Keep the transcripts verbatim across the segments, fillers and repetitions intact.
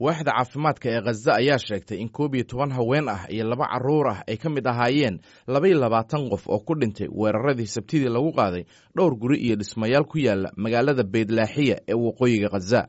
Waaxda caafimaadka ee Khaza ayaa sheegtay in koob iyo toban haween ah iyo laba carruur ah ay ka mid ahaayeen laba iyo labaatan qof oo ku dhintay weeraradii Sabtidii lagu qaaday dhowr guri iyo dhismayaal ku yaala magaalada Beydlaaxiya ee waqooyiga Khaza.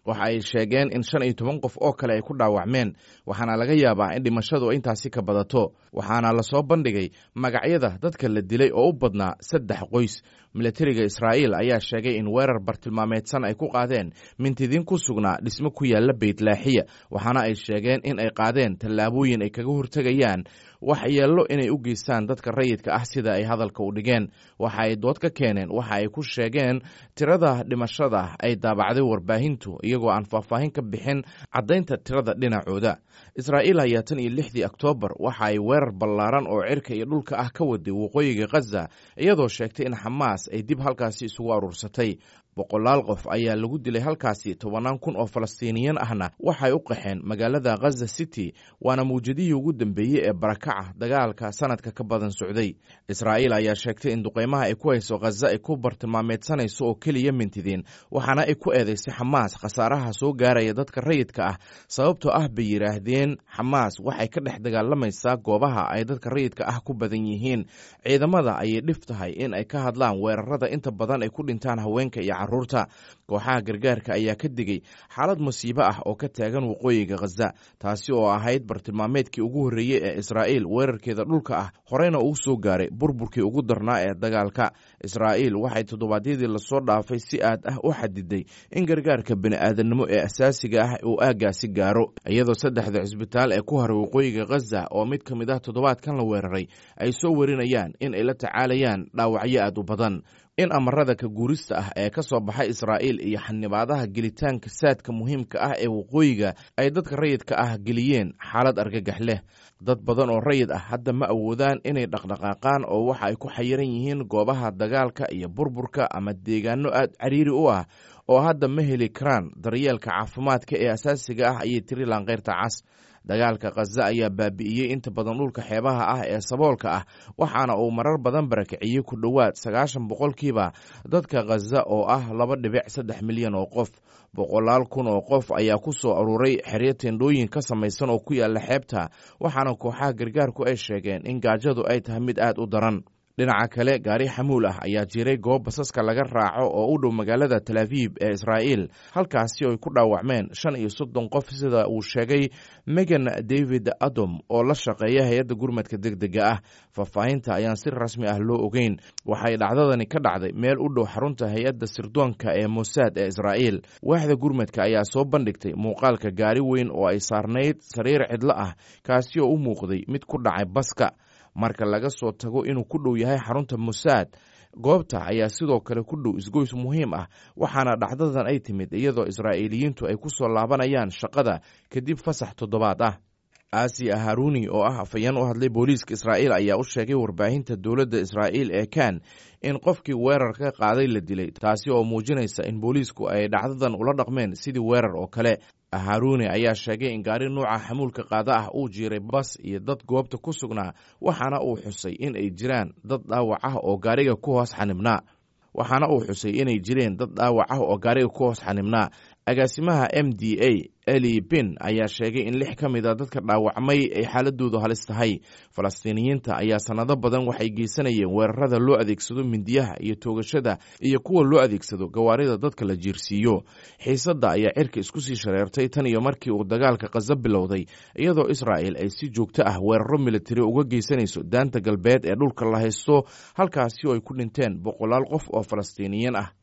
Waxa ay sheegeen in shan iyo toban qof oo kale ay ku dhaawacmeen, waxaana laga yaabaa in dhimashadu intaasi ka badato. Waxaana lasoo bandhigay magacyada dadka la dilay oo u badnaa saddex qoys. Milatariga Israa'iil ayaa sheegay in weerar bartilmaameedsan ay ku qaadeen mintidiin ku sugnaa dhismo ku yaala Beytlaaxiya, waxaana ay sheegeen in ay qaadeen tallaabooyin ay kaga hortegayaan waxyeello inay u geystaan dadka rayidka ah, sida ay hadalka u dhigeen. Waxa ay dood ka keeneen waxa ay ku sheegeen tirada dhimashada ay daabacday warbaahintu, iyagoo aan faahfaahin ka bixin caddaynta tirada dhinacooda. Israa'iil ayaa tan iyo lixdii Oktoobar waxa ay weerar ballaaran oo cirka iyo dhulka ah ka waday waqooyiga Khaza, iyadoo sheegtay in Xamaas ay dib halkaasi isugu aruursatay. Boqolaal qof ayaa lagu dilay halkaasi, tobannaan kun oo Falastiiniyiin ahna waxay u qaxeen magaalada Khaza City, waana mawjadihii ugu dambeeyey ee barakaca dagaalka sanadka ka badan socday. Israa'iil ayaa sheegtay in duqeymaha ay ku hayso Khaza ay ku bartilmaameedsanayso oo keliya mintidiin, waxaana ay ku eedeysay Xamaas khasaaraha soo gaaraya dadka rayidka ah, sababtoo ah bay yidhaahdeen Xamaas waxay ka dhex dagaalamaysaa goobaha ay dadka rayidka ah ku badan yihiin. Ciidamada ayay dhif tahay in ay ka hadlaan weerarada inta badan ay ku dhintaan haweenka iyo carruurta. Kooxaha gargaarka ayaa ka digay xaalad musiibo ah oo ka taagan waqooyiga Khaza, taasi oo ahayd bartilmaameedkii ugu horreeyey ee Israa'iil weerarkeeda dhulka ah, horeyna uu soo gaaray burburkii ugu darnaa ee dagaalka. Israa'iil waxay toddobaadyadii lasoo dhaafay si aad ah u xadiday in gargaarka bini'aadanimo ee asaasiga ah uu aaggaasi gaaro, iyadoo saddexda cisbitaal ee ku haray waqooyiga Khaza oo mid ka mid ah toddobaadkan la weeraray ay soo warinayaan in ay la tacaalayaan dhaawacyo aad u badan. In amarada ka guurista ah ee ka soo baxay Israa'iil iyo xanibaadaha gelitaanka saadka muhiimka ah ee waqooyiga ay dadka rayidka ah geliyeen xaalad argagax leh. Dad badan oo rayid ah hadda ma awoodaan inay dhaqdhaqaaqaan oo waxa ay ku xayiran yihiin goobaha dagaalka iyo burburka ama deegaano aad cariiri u ah oo hadda ma heli karaan daryeelka caafimaadka ee asaasiga ah, ayay tiri Laanqeyrta Cas. Dagaalka Khaza ayaa baabi'iyey inta badan dhulka xeebaha ah ee saboolka ah, waxaana uu marar badan barakiciyey ku dhowaad sagaashan boqolkiiba dadka Khaza oo ah laba dhibic saddex milyan oo qof. Boqolaal kun oo qof ayaa ku soo aruuray xeryo tendhooyin ka samaysan oo ku yaala xeebta, waxaana kooxaha gargaarku ay sheegeen in gaajadu ay tahay mid aad u daran. Dhinaca kale, gaari xamuul ah ayaa jiray goob basaska laga raaco oo u dhow magaalada Tel Aviib ee Israa'iil, halkaasi oo ay ku dhaawacmeen shan iyo soddon qof, sida uu sheegay Megan David Adom oo la shaqeeya hay-adda gurmadka degdega ah. Faahfaahinta ayaan si rasmi ah loo ogeyn. Waxay dhacdadani ka dhacday meel u dhow xarunta hay-adda sirdoonka ee Mosaad ee Israa'iil. Waaxda gurmadka ayaa soo bandhigtay muuqaalka gaari weyn oo ay saarnayd sariir cidlo ah, kaasi oo u muuqday mid ku dhacay baska. Marka laga soo tago inuu ku dhow yahay xarunta Mosaad, goobta ayaa sidoo kale ku dhow isgoys muhiim ah, waxaana dhacdadan ay timid iyadoo Israa'iiliyiintu ay ku soo laabanayaan shaqada kadib fasax toddobaad ah. Aasiya Haruni oo ah afhayeen u hadlay booliiska Israa'iil ayaa u sheegay warbaahinta dowladda Israa'iil ee Kan in qofkii weerar ka qaaday la dilay, taasi oo muujinaysa in booliisku ay dhacdadan ula dhaqmeen sidii weerar oo kale. Haruni ayaa sheegay in gaari nuuca xamuulka qaada ah uu jiiray bas iyo dad goobta ku sugnaa, waxaana uu xusay in ay jiraan dad dhaawac ah oo gaariga ku hoos xanibnaa waxaana uu xusay inay jireen dad dhaawac ah oo gaariga ku hoos xanibnaa. Agaasimaha M D A Eli Bin ayaa sheegay in lix ka mid a dadka dhaawacmay ay xaaladoodu halis tahay. Falastiiniyiinta ayaa sanado badan waxay geysanayeen weerarada loo adeegsado mindiyaha iyo toogashada iyo kuwa loo adeegsado gawaarida dadka la jiirsiiyo. Xiisadda ayaa cirka isku sii shareertay tan iyo markii uu dagaalka Khaza bilowday, iyadoo Israa'il ay si joogto ah weeraro militari uga geysanayso daanta galbeed ee dhulka la haysto, halkaasi oo ay ku dhinteen boqolaal qof oo Falastiiniyiin ah.